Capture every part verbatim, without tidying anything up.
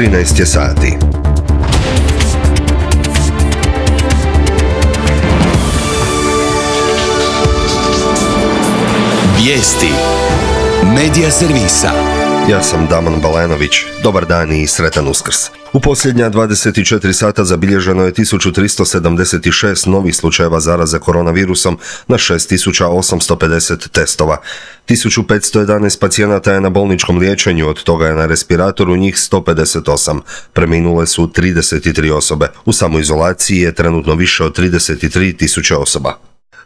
trinaest je sati. Vijesti Medija servisa. Ja sam Damon Balenović. Dobar dan i sretan Uskrs. U posljednja dvadeset četiri sata zabilježeno je tisuću tristo sedamdeset šest novih slučajeva zaraze koronavirusom na šest tisuća osamsto pedeset testova. tisuću petsto jedanaest pacijenata je na bolničkom liječenju, od toga je na respiratoru njih sto pedeset osam. Preminule su trideset tri osobe. U samoizolaciji je trenutno više od trideset tri tisuće osoba.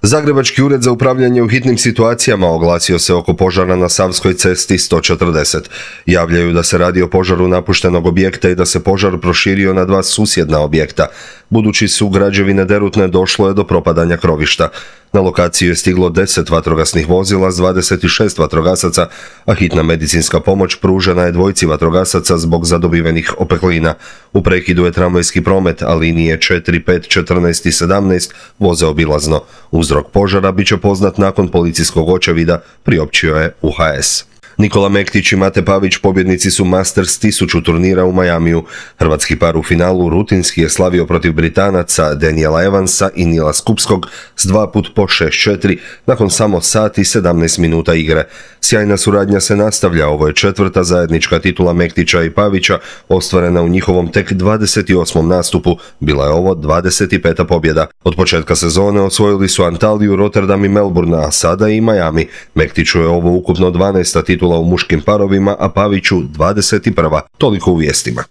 Zagrebački ured za upravljanje u hitnim situacijama oglasio se oko požara na Savskoj cesti sto četrdeset. Javljaju da se radi o požaru napuštenog objekta i da se požar proširio na dva susjedna objekta. Budući su građevine derutne, došlo je do propadanja krovišta. Na lokaciju je stiglo deset vatrogasnih vozila s dvadeset šest vatrogasaca, a hitna medicinska pomoć pružena je dvojci vatrogasaca zbog zadobivenih opeklina. U prekidu je tramvajski promet, a linije četiri, pet, četrnaest i sedamnaest voze obilazno. Uzrok požara bit će poznat nakon policijskog očevida, priopćio je U H S. Nikola Mektić i Mate Pavić pobjednici su Masters tisuću turnira u Majamiju. Hrvatski par u finalu rutinski je slavio protiv Britanaca Daniela Evansa i Nila Skupskog s dva put po šest četiri nakon samo sat i sedamnaest minuta igre. Sjajna suradnja se nastavlja, ovo je četvrta zajednička titula Mektića i Pavića, ostvarena u njihovom tek dvadeset osmom nastupu, bila je ovo dvadeset peta pobjeda. Od početka sezone osvojili su Antaliju, Rotterdam i Melbourne, a sada i Miami. Mektiću je ovo ukupno dvanaesta titula u muškim parovima, a Paviću dvadeset prva. Toliko u vijestima.